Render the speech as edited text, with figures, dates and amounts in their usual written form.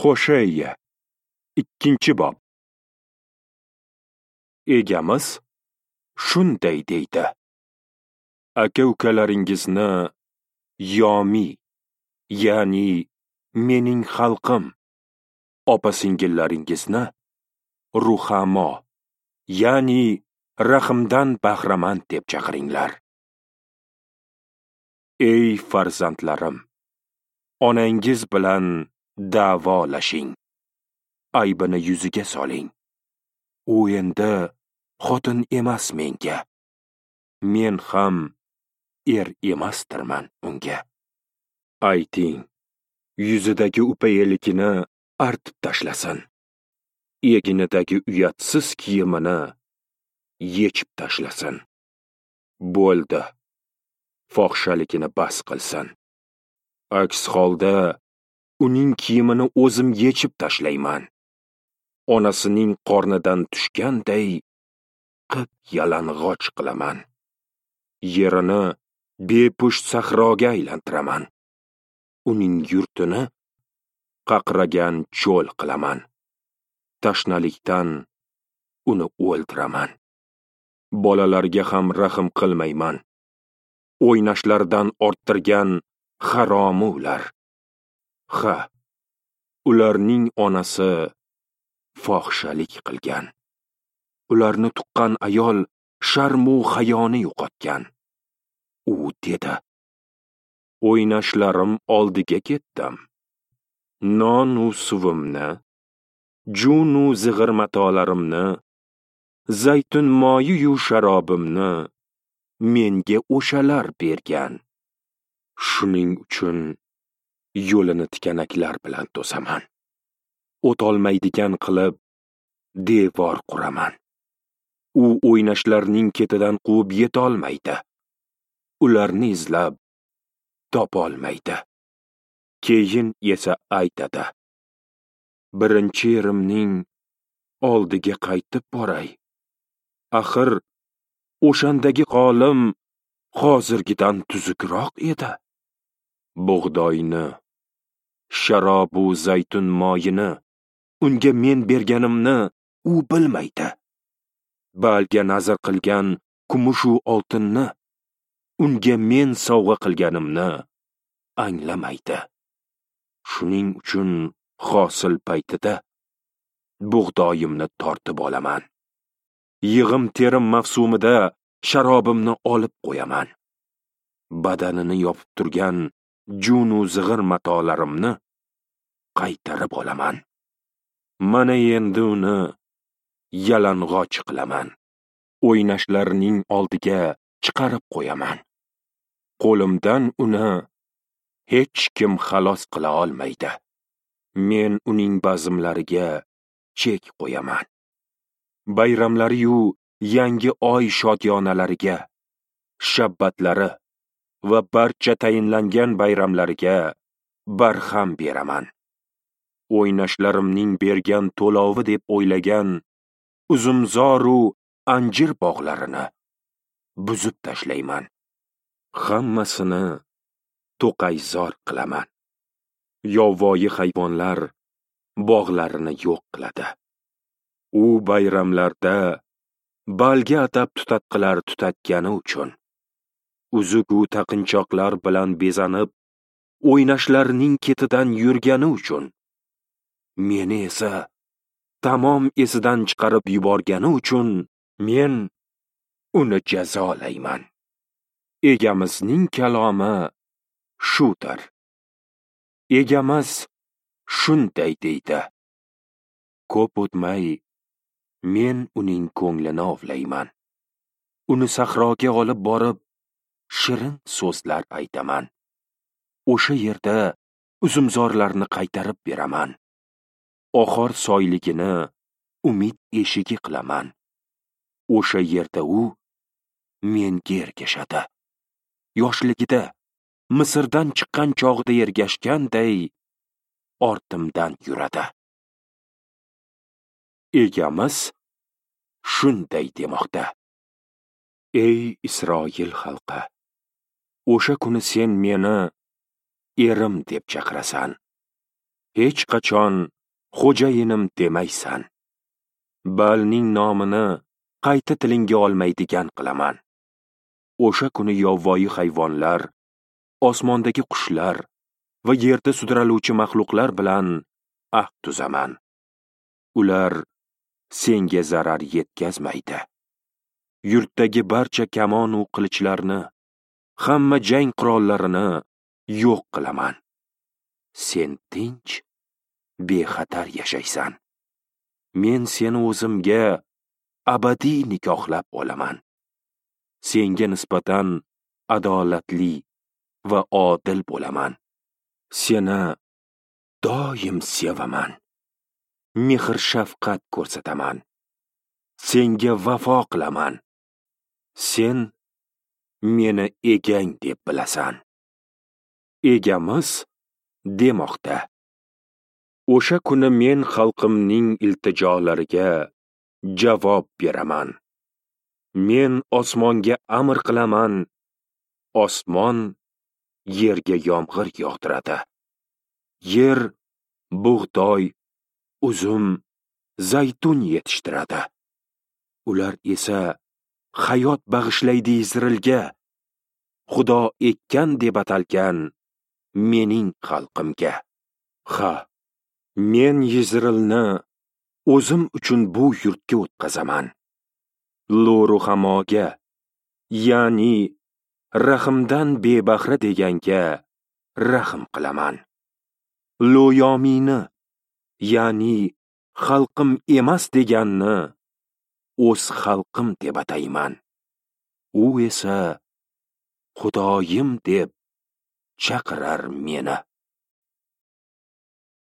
Hosheya 2-bob. Egamiz shunday deydi: Aka-ukalaringizni Yomi, ya'ni mening xalqim, opa-singillaringizni Ruhamo, ya'ni rahimdan bahramand deb chaqiringlar. Ey farzandlarim, onangiz bilan da'volashing, aybini yuziga soling. U endi xotin emas menga, men ham er emasdirman unga. Ayting, yuzidagi upa-elikini artib tashlasin, eginidagi uyatsiz kiyimini yechib tashlasin. Bo'ldi, fohishaligini bas qilsin. Aks holda uning kiyimini o'zim yechib tashlayman. Onasining qornidan tushganday qip yalang'och qilaman. Yerini bepusht sahroga aylantiraman. Uning yurtini qaqragan cho'l qilaman. Tashnalikdan uni o'ldiraman. Bolalarga ham rahm qilmayman. O'ynashlaridan orttirgan haromi ular. Ha, ularning onasi fohishalik qilgan. Ularni tuqqan ayol sharmu hayoni yo'qotgan. U dedi: O'ynashlarim oldiga ketdim. Non-u suvimni, jun-u zig'ir matolarimni, zaytun moyi-yu sharobimni menga o'shalar bergan. Shuning uchun yo'lini tikanaklar bilan to'saman. O'tolmaydigan qilib devor quraman. U o'ynashlarning ketidan quvib yetolmaydi. Ularni izlab topolmaydi. Keyin esa aytadi: Birinchi erimning oldiga qaytib boray. Axir o'shandagi holim hozirgidan tuzukroq edi. Bug'doyni, sharobu zaytun moyini unga men berganimni u bilmaydi. Balga nazr qilgan kumushu oltinni unga men sovg'a qilganimni anglamaydi. Shuning uchun hosil paytida bug'doyimni tortib olaman. Yig'im terim mavsumida sharobimni olib qo'yaman. Badanini yopib turgan jun-u zig'ir matolarimni qaytarib olaman. Mana endi uni yalang'och qilaman. O'ynashlarining oldiga chiqarib qo'yaman. Qo'limdan uni hech kim xalos qila olmaydi. Men uning bazmlariga chek qo'yaman. Bayramlari-yu yangi oy shodiyonalariga, shabbatlari va barcha tayinlangan bayramlariga barham beraman. O'ynashlarimning bergan to'lovi deb o'ylagan uzumzoru anjir bog'larini buzib tashlayman. Hammasini to'qayzor qilaman. Yovvoyi hayvonlar bog'larini yo'q qiladi. U bayramlarda balga atab tutatqilar tutatgani uchun, uzugu taqinchoqlar bilan bezanib, o'ynashlarining ketidan yurgani uchun, meni esa tamom esidan chiqarib yuborgani uchun men uni jazolayman. Egamizning kalomi shudir. Egamiz shunday deydi: Ko'p o'tmay men uning ko'nglini ovlayman. Uni sahroga olib borib, shirin so'zlar aytaman. O'sha yerda uzumzorlarni qaytarib beraman. Oxor soyligini umid eshigi qilaman. O'sha yerda u menga ergashadi. Yoshligida Misrdan chiqqan chog'ida ergashganday ortimdan yuradi. Egamiz shunday demoqda: Ey Isroil xalqi, o'sha kuni sen meni erim deb chaqirasan. hech qachon xo'jayinim demaysan. Balning nomini qayta tilingga olmaydigan qilaman. O'sha kuni yovvoyi hayvonlar, osmondagi qushlar va yerda sudraluvchi maxluqlar bilan ahd tuzaman. Ular senga zarar yetkazmaydi. Yurtdagi barcha kamon u qilichlarni, hamma jang qurollarini yo'q qilaman. Sen tinch, bexatar yashaysan. Men seni o'zimga abadiy nikohlab olaman. Senga nisbatan adolatli va odil bo'laman. Seni doim sevaman. Mehr shafqat ko'rsataman. Senga vafo qilaman. Sen meni egang deb bilasan. Egamiz demoqda. O'sha kuni men xalqimning iltijolariga javob beraman. Men osmonga amr qilaman, osmon yerga yomg'ir yog'diradi. Yer bug'doy, uzum, zaytun yetishtiradi. Ular esa hayot bag'ishlaydi Izrailga, Xudo ekkan deb atalgan mening xalqimga. Ha, men Izrailni o'zim uchun bu yurtga o'tkazaman. Lo-Ruhamoga, ya'ni rahimdan bebahra deganga rahm qilaman. Lo-Yomini, ya'ni xalqim emas deganni o'z xalqim deb atayman. U esa Xudoyim deb chaqirar meni.